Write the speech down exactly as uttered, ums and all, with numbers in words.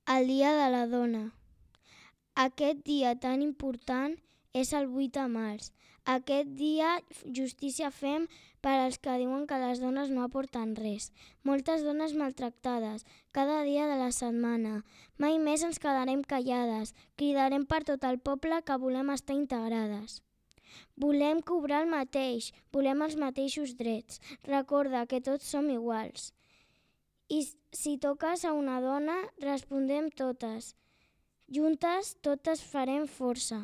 El Dia de la Dona. Aquest dia tan important és el vuit de març. Aquest dia justícia fem per als que diuen que les dones no aporten res. Moltes dones maltractades, cada dia de la setmana. Mai més ens quedarem callades. Cridarem per tot el poble que volem estar integrades. Volem cobrar el mateix, volem els mateixos drets. Recorda que tots som iguals. I si toques a una dona, respondem totes. Juntes totes farem força.